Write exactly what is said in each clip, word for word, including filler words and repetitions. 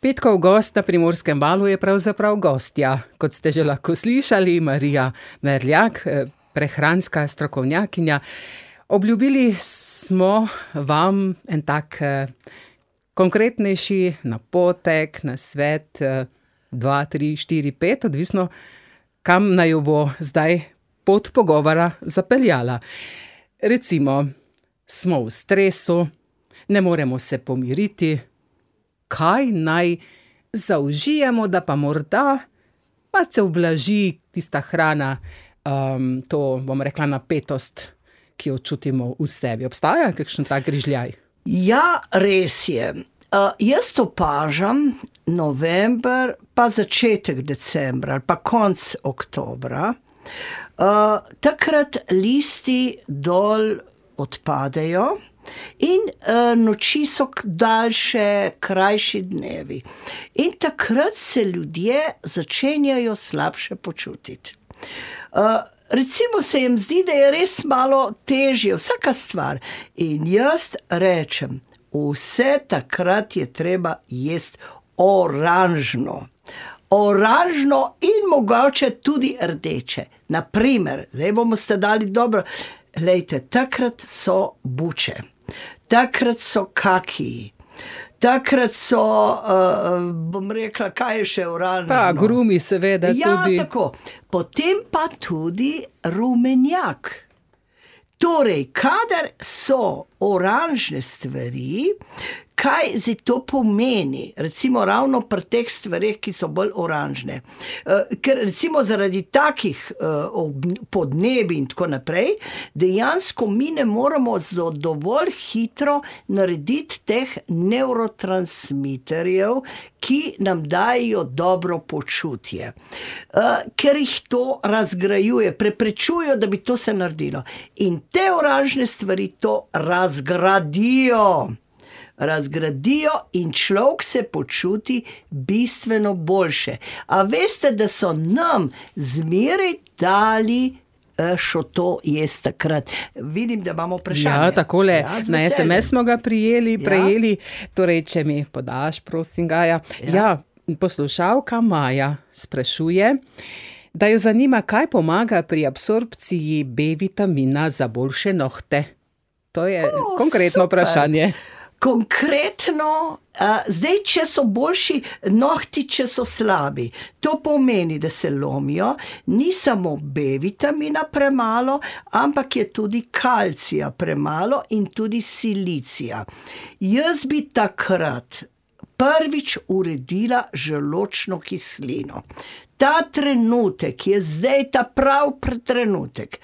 Petkov gost na Primorskem valu je pravzaprav gostja, kot ste že lahko slišali, Marija Merljak, prehranska strokovnjakinja. Obljubili smo vam en tak konkretnejši napotek, nasvet, dva, tri, štiri, pet, odvisno, kam naj jo bo zdaj pot pogovora zapeljala. Recimo, smo v stresu, ne moremo se pomiriti, kaj naj zaužijemo, da pa morda malce ublaži tista hrana, um, to, bom rekla, napetost, ki jo čutimo v sebi. Obstaja kakšen tak grižljaj? Ja, res je. Uh, jaz opažam november, pa začetek decembra, ali pa konc oktobra, uh, takrat listi dol odpadejo in uh, noči so daljše, krajši dnevi. In takrat se ljudje začenjajo slabše počutiti. Uh, recimo se jim zdi, da je res malo težje, vsaka stvar. In jaz rečem, vse takrat je treba jesti oranžno. Oranžno in mogoče tudi rdeče. Naprimer, zdaj bomo ste dali dobro, glejte, takrat so buče, takrat so kakiji, takrat so, uh, bom rekla, kaj je še oranžno? Pa grumi seveda ja, tudi. Ja, tako. Potem pa tudi rumenjak. Torej, kadar so oranžne stvari, kaj zdaj to pomeni? Recimo ravno pri teh stvareh, ki so bolj oranžne. Ker recimo zaradi takih podnebi in tako naprej, dejansko mi ne moremo dovolj hitro narediti teh nevrotransmiterjev, ki nam dajo dobro počutje. Ker jih to razgrajuje, preprečujejo, da bi to se naredilo. In te oranžne stvari to razgradijo. razgradijo in človek se počuti bistveno boljše. A veste, da so nam zmeraj dali šo to jesti takrat. Vidim, da imamo vprašanje. Ja, takole, ja, na es em es smo ga prijeli, prejeli, ja. Torej, če mi podaš, prosim ga, ja. Ja, poslušalka Maja sprašuje, da jo zanima, kaj pomaga pri absorpciji B vitamina za boljše nohte. To je o, konkretno super vprašanje. Konkretno, uh, zdaj, če so boljši nohti, če so slabi, to pomeni, da se lomijo, ni samo B vitamina premalo, ampak je tudi kalcija premalo in tudi silicija. Jaz bi takrat prvič uredila želodčno kislino. Ta trenutek je zdaj ta prav trenutek.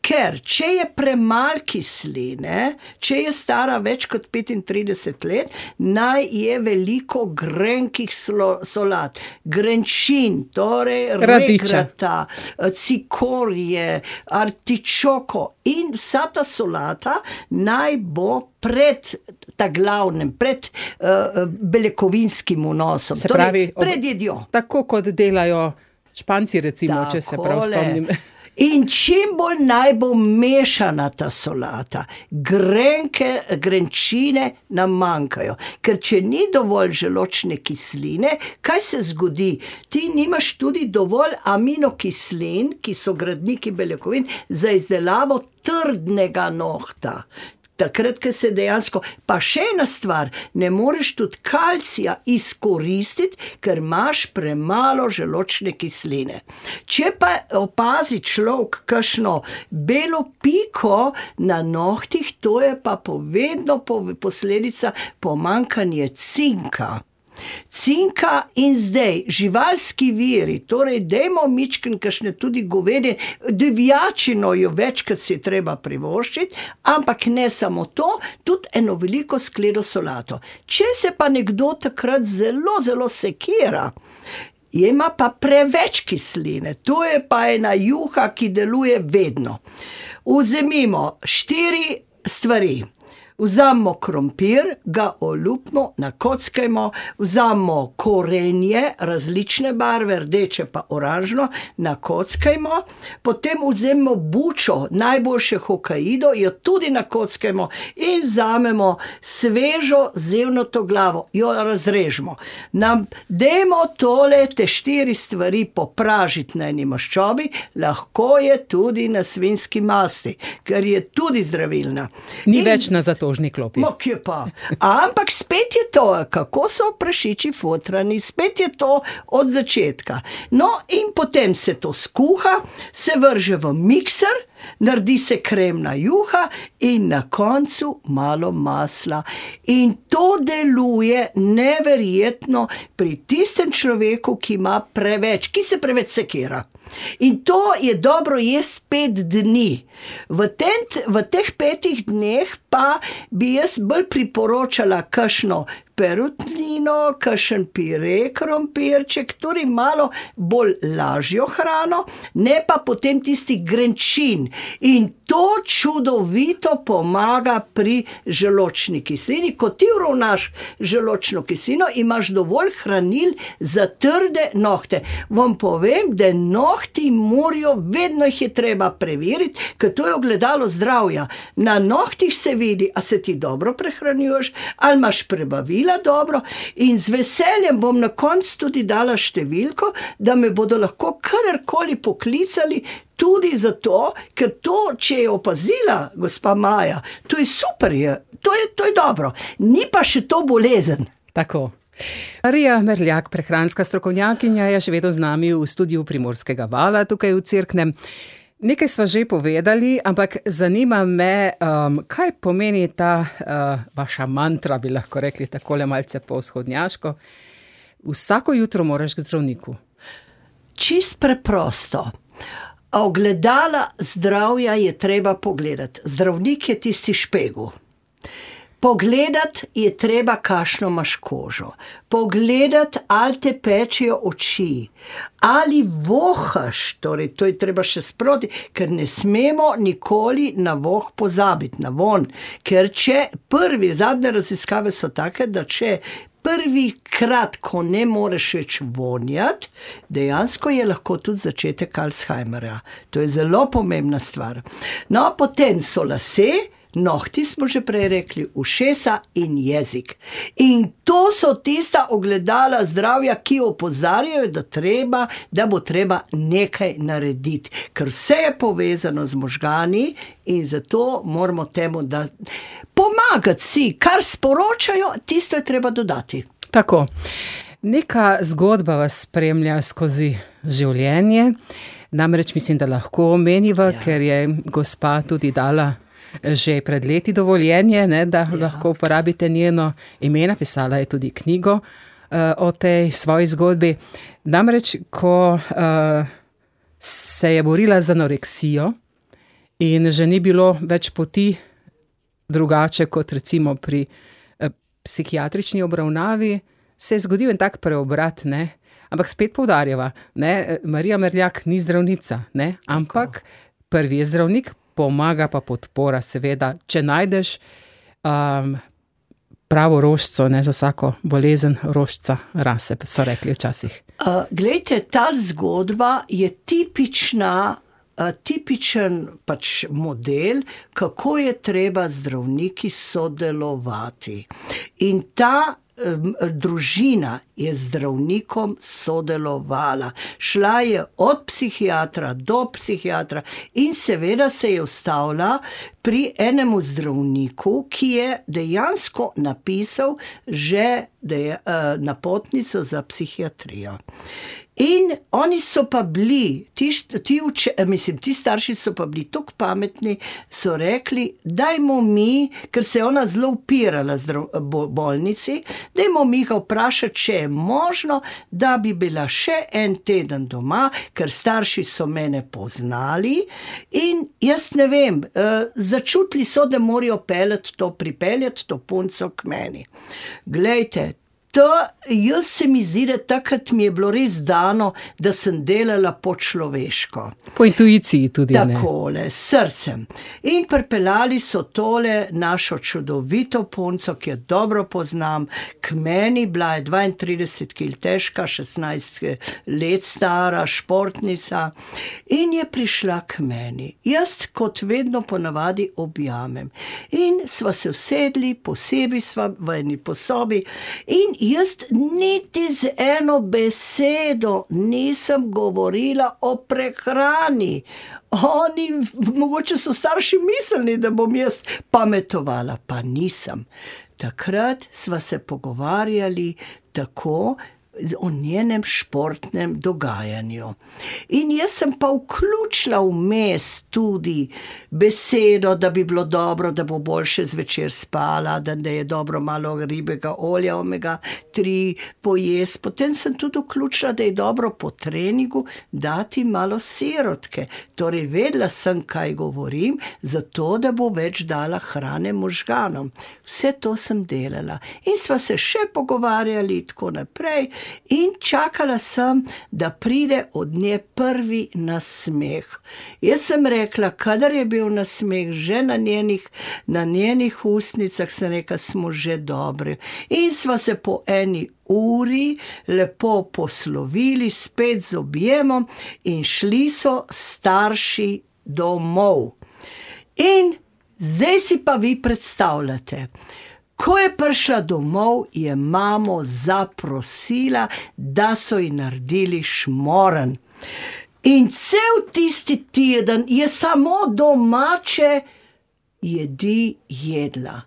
Ker, če je premalo kisline, če je stara več kot petintrideset let, naj je veliko grenkih solat. Grenčin, torej regrata, cikorje, artičoko in vsa ta solata naj bo pred ta glavnem, pred uh, beljakovinskim vnosom. Se pravi, torej, pred jedjo. Tako kot delajo Španci, recimo, Takole. Če se prav spomnim. In čim bolj naj bo mešana ta solata, grenke, grenčine nam manjkajo. Ker če ni dovolj želodčne kisline, kaj se zgodi? Ti nimaš tudi dovolj aminokislin, ki so gradniki beljakovin, za izdelavo trdnega nohta. Takrat, ko se dejansko, pa še ena stvar, ne moreš tudi kalcija izkoristiti, ker imaš premalo želodčne kisline. Če pa opazi človek kakšno belo piko na nohtih, to je pa povedno posledica pomanjkanje cinka. Cinka in zdaj živalski viri, torej dajmo mičken kakšne tudi govedi, divjačino jo večkrat si treba privoščiti, ampak ne samo to, tudi eno veliko skledo solato. Če se pa nekdo takrat zelo, zelo sekira, ima pa preveč kisline, to je pa ena juha, ki deluje vedno. Vzemimo štiri stvari. Vzamemo krompir, ga olupimo, nakockajmo, vzamemo korenje, različne barve, rdeče pa oranžno, nakockajmo, potem vzamemo bučo, najboljše hokaido, jo tudi nakockajmo in vzamemo svežo zevnato glavo, jo razrežemo. Nam dajmo tole, te štiri stvari popražiti na eni maščobi, lahko je tudi na svinjski masti, ker je tudi zdravilna. Ni in, več na zatožni klopi. Ma, kje pa? Ampak spet je to, kako so prašiči fotrani, spet je to od začetka. No, in potem se to skuha, se vrže v mikser, naredi se kremna juha in na koncu malo masla. In to deluje neverjetno pri tistem človeku, ki ima preveč, ki se preveč sekira. In to je dobro jesti pet dni. V, ten, v teh petih dneh pa bi jaz bolj priporočala kakšno perutnino, kakšen pire krompirček, torej malo bolj lažjo hrano, ne pa potem tisti grenčin. In to čudovito pomaga pri želodčni kislini. Ko ti uravnaš želodčno kislino, imaš dovolj hranil za trde nohte. Vam povem, da nohti morajo, vedno jih je treba preveriti, ker to je ogledalo zdravja. Na nohtih se vidi, a se ti dobro prehranjuješ, ali imaš prebavila dobro, in z veseljem bom na koncu tudi dala številko, da me bodo lahko kadarkoli poklicali, tudi zato, ker to, če je opazila gospa Maja, to je super, je, to je, to je dobro. Ni pa še to bolezen. Tako. Marija Merljak, prehranska strokovnjakinja, je še vedno z nami v studiu Primorskega vala, tukaj v Cerknem. Nekaj sva že povedali, ampak zanima me, um, kaj pomeni ta uh, vaša mantra, bi lahko rekli takole malce po vzhodnjaško. Vsako jutro moraš k zdravniku. Čist preprosto. Ogledala zdravja je treba pogledati. Zdravnik je tisti špegel. Pogledati je treba, kakšno imaš kožo. Pogledati, ali te pečijo oči. Ali vohaš, torej to je treba še sproti, ker ne smemo nikoli na voh pozabiti, na von. Ker če prvi, zadnje raziskave so take, da če prvi krat, ko ne moreš več vonjati, dejansko je lahko tudi začetek Alzheimerja. To je zelo pomembna stvar. No, potem so lase, nohti smo že prej rekli, ušesa in jezik. In to so tista ogledala zdravja, ki opozarjajo, da treba, da bo treba nekaj narediti. Ker vse je povezano z možgani in zato moramo temu, da pomagati si, kar sporočajo, tisto je treba dodati. Tako. Neka zgodba vas spremlja skozi življenje. Namreč mislim, da lahko omeniva, ja. Ker je gospa tudi dala že pred leti dovoljenje, ne, da ja. Lahko uporabite njeno ime, napisala je tudi knjigo uh, o tej svoji zgodbi. Namreč, ko uh, se je borila z anoreksijo in že ni bilo več poti drugače kot recimo pri uh, psihiatrični obravnavi, se je zgodil en tak preobrat, ne. Ampak spet poudarjava, ne, Marija Merljak ni zdravnica, ne, ampak prvi je zdravnik, pomaga pa podpora, seveda, če najdeš um, pravo rožico, ne, za vsako bolezen rožica rase, so rekli včasih. Uh, glejte, ta zgodba je tipična, uh, tipičen pač model, kako je treba zdravniki sodelovati. In ta družina je z zdravnikom sodelovala. Šla je od psihiatra do psihiatra in seveda se je ustavila pri enemu zdravniku, ki je dejansko napisal že deja, napotnico za psihiatrijo. In oni so pa bili, ti, ti, uče, mislim, ti starši so pa bili tako pametni, so rekli, dajmo mi, ker se je ona zelo upirala zdrav, bolnici, dajmo mi ga vprašati, če je možno, da bi bila še en teden doma, ker starši so mene poznali in jaz ne vem, začutili so, da morajo peljati to, pripeljati to punco k meni. Glejte, To, jaz se mi zdi, da takrat mi je bilo res dano, da sem delala po človeško. Po intuiciji tudi, ne? Takole, s srcem. In pripeljali so tole našo čudovito punco, ki jo dobro poznam, k meni, bila je dvaintrideset kil težka, šestnajst let stara, športnica, in je prišla k meni. Jaz, kot vedno ponavadi, objamem. In sva se usedli, posebej sva v eni posobi, in jaz niti z eno besedo nisem govorila o prehrani. Oni, mogoče so starši mislili, da bom jaz pametovala, pa nisem. Takrat sva se pogovarjali tako o njenem športnem dogajanju. In jaz sem pa vključila vmes tudi besedo, da bi bilo dobro, da bo boljše zvečer spala, da je dobro malo ribjega olja, omega tri pojesti. Potem sem tudi vključila, da je dobro po treningu dati malo sirotke. Torej, vedela sem, kaj govorim, zato, da bo več dala hrane možganom. Vse to sem delala. In sva se še pogovarjali tako naprej. In čakala sem, da pride od nje prvi nasmeh. Jaz sem rekla, kadar je bil nasmeh že na njenih, na njenih ustnicah, sem rekla, smo že dobri. In sva se po eni uri lepo poslovili, spet z objemom, in šli so starši domov. In zdaj si pa vi predstavljate, ko je prišla domov, je mamo zaprosila, da so ji naredili šmoren. In cel tisti teden je samo domače jedi jedla.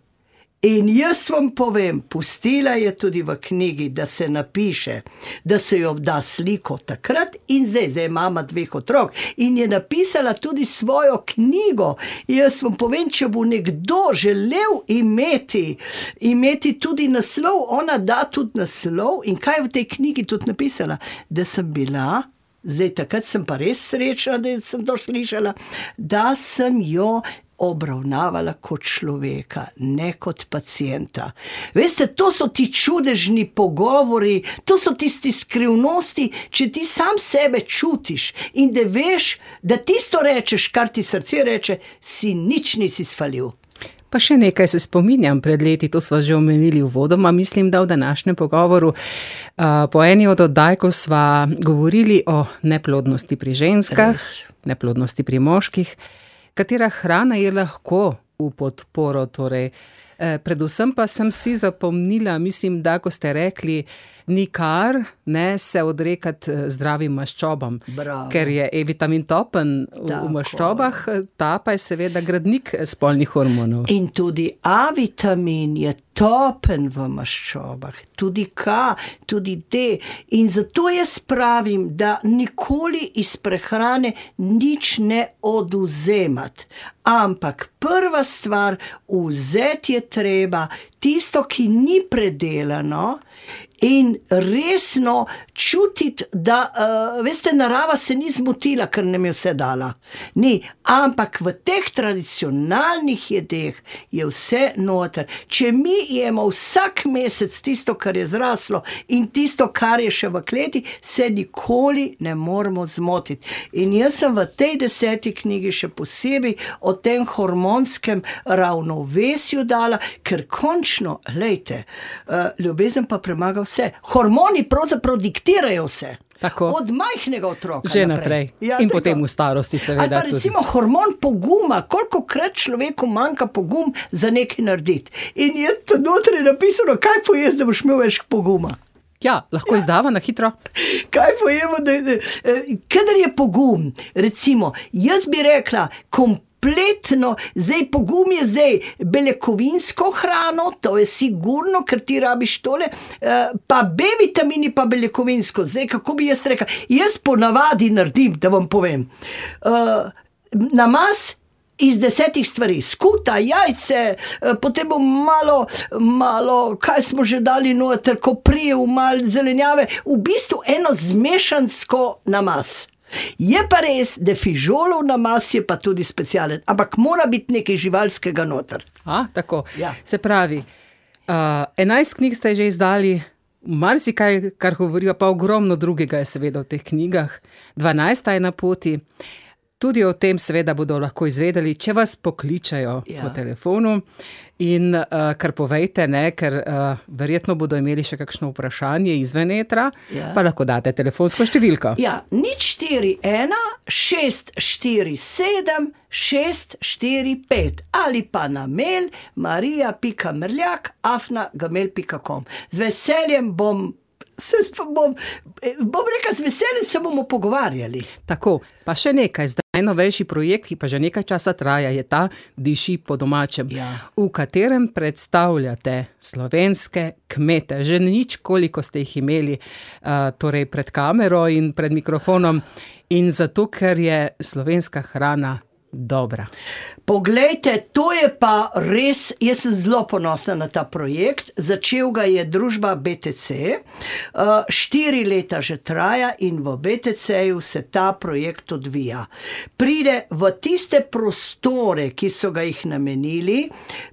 In jaz vam povem, pustila je tudi v knjigi, da se napiše, da se jo da sliko takrat in zdaj, zdaj je mama dveh otrok, in je napisala tudi svojo knjigo. Jaz vam povem, če bo nekdo želel imeti, imeti tudi naslov, ona da tudi naslov. In kaj je v tej knjigi tudi napisala? Da sem bila, zdaj takrat sem pa res srečna, da sem to slišala, da sem jo obravnavala kot človeka, ne kot pacienta. Veste, to so ti čudežni pogovori, to so tisti skrivnosti, če ti sam sebe čutiš in da veš, da tisto rečeš, kar ti srce reče, si nič nisi sfalil. Pa še nekaj se spominjam pred leti, to sva že omenili uvodoma, mislim, da v današnjem pogovoru. Uh, po eni od oddaj, ko sva govorili o neplodnosti pri ženskah, Res. neplodnosti pri moških, katera hrana je lahko v podporo, torej. E, predvsem pa sem si zapomnila, mislim, da ko ste rekli, nikar ne se odrekati zdravim maščobam, Bravo. Ker je E-vitamin topen v, v maščobah, ta pa je seveda gradnik spolnih hormonov. In tudi A-vitamin je topen v maščobah, tudi K, tudi D. In zato jaz pravim, da nikoli iz prehrane nič ne odvzemati. Ampak prva stvar, vzeti je treba tisto, ki ni predelano, in resno čutiti, da, uh, veste, narava se ni zmotila, ker nam je vse dala. Ni, ampak v teh tradicionalnih jedeh je vse noter. Če mi jemo vsak mesec tisto, kar je zraslo, in tisto, kar je še v kleti, se nikoli ne moramo zmotiti. In jaz sem v tej deseti knjigi še posebej o tem hormonskem ravnovesju dala, ker končno, lejte, uh, ljubezen pa premaga vse. Hormoni pravzaprav diktirajo vse. Tako. Od majhnega otroka že naprej. Ja, in tako. Potem v starosti seveda ali pa recimo tudi hormon poguma, kolikokrat človeku manjka pogum za nekaj narediti. In je to notri napisano, kaj poješ, da boš imel več poguma. Ja, lahko ja. Izdava na hitro. Kaj pojemo, da, da, kadar je pogum, recimo, jaz bi rekla, kompletno, zdaj pogum je zdaj beljakovinsko hrano, to je sigurno, ker ti rabiš tole, pa B-vitamini pa beljakovinsko. Zdaj, kako bi jaz rekla? Jaz ponavadi naredim, da vam povem. Uh, namaz iz desetih stvari. Skuta, jajce, potem bom malo, malo, kaj smo že dali noter, koprijev, malo zelenjave, v bistvu eno zmešansko namaz. Je pa res, da fižolov namaz je pa tudi specialen, ampak mora biti nekaj živalskega noter. A, tako. Ja. Se pravi, uh, enajst knjig ste že izdali, marsikaj, kar govorijo, pa ogromno drugega je seveda v teh knjigah. dvanajsta je na poti. Tudi o tem seveda bodo lahko izvedeli, če vas pokličajo Ja. po telefonu. In uh, kar povejte, ne, ker uh, verjetno bodo imeli še kakšno vprašanje izven etra, Ja. pa lahko date telefonsko številko. Ja, nič štiri ena, šest štiri sedem, šest štiri pet ali pa na mail marija pika mrljak afna gmail pika com. Z veseljem bom, se sp- bom, eh, bom rekel, z veseljem se bomo pogovarjali. Tako, pa še nekaj, zdaj najnovejši projekt, ki pa že nekaj časa traja, je ta Diši po domačem, Ja. v katerem predstavljate slovenske kmete. Že nič, koliko ste jih imeli uh, torej pred kamero in pred mikrofonom, in zato, ker je slovenska hrana dobra. Poglejte, to je pa res, jaz sem zelo ponosna na ta projekt. Začel ga je družba B T C, uh, štiri leta že traja in v B T C-ju se ta projekt odvija. Pride v tiste prostore, ki so ga jih namenili,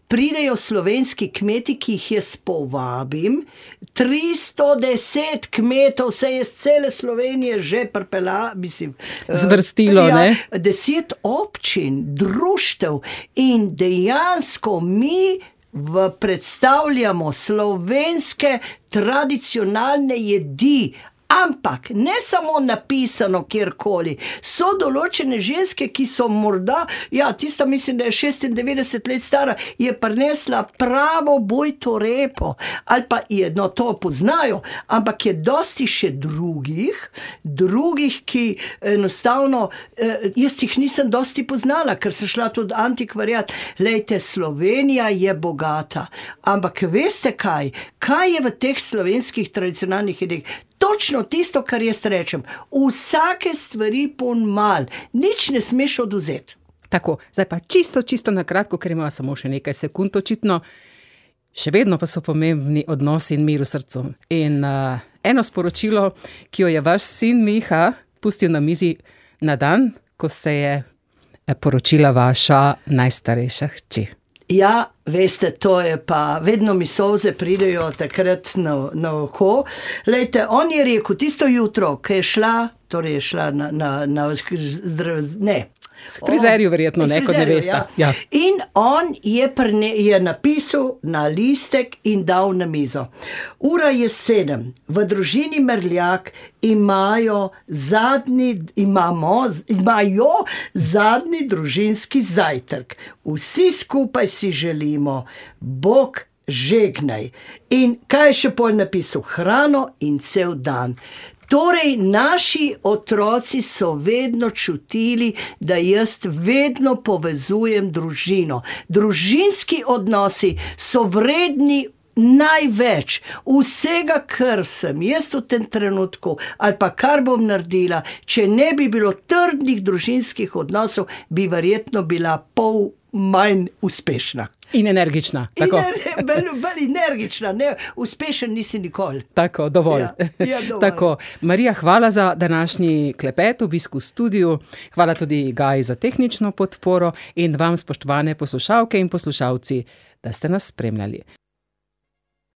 pridejo slovenski kmeti, ki jih jaz povabim, tristo deset kmetov se je z cele Slovenije že pripela, mislim, eh, Zvrstilo, ne? Deset občin, društev in dejansko mi v predstavljamo slovenske tradicionalne jedi. Ampak ne samo napisano kjerkoli, so določene ženske, ki so morda, ja, tista mislim, da je šestindevetdeset let stara, je prinesla pravo bojto repo, ali pa je, no to poznajo, ampak je dosti še drugih, drugih, ki enostavno, eh, jaz jih nisem dosti poznala, ker sem šla tudi antikvariat. Lejte, Slovenija je bogata, ampak veste kaj, kaj je v teh slovenskih tradicionalnih jedeh? Točno tisto, kar jaz rečem, vsake stvari pon mal, nič ne smeš odvzeti. Tako, zdaj pa čisto, čisto na kratko, ker ima samo še nekaj sekund očitno, še vedno pa so pomembni odnosi in mir v srcu. In uh, eno sporočilo, ki jo je vaš sin Miha pustil na mizi na dan, ko se je eh, poročila vaša najstarejša hči. Ja, veste, to je pa, vedno mi solze pridejo takrat na, na oko. Lejte, on je rekel, tisto jutro, ko je šla, torej je šla na, na, na zdrav, ne. S frizerju verjetno, ne, kot ne veste. Ja. In on je, prne, je napisal na listek in dal na mizo. Ura je sedem, v družini Mrljak imajo zadnji, imamo, imajo zadnji družinski zajtrk. Vsi skupaj si želimo, Bog žegnaj. In kaj je še pol napisal? Hrano in cel dan. Torej, naši otroci so vedno čutili, da jaz vedno povezujem družino. Družinski odnosi so vredni največ vsega, kar sem jaz v tem trenutku ali pa kar bom naredila. Če ne bi bilo trdnih družinskih odnosov, bi verjetno bila pol manj uspešna. In energična. Tako, Ener, bolj, bolj energična, ne, uspešen nisi nikoli. tako dovolj. Ja, ja, dovolj. Tako, Marija, hvala za današnji klepet, obisk v studiu. Hvala tudi Gaji za tehnično podporo in vam, spoštovane poslušalke in poslušalci, da ste nas spremljali.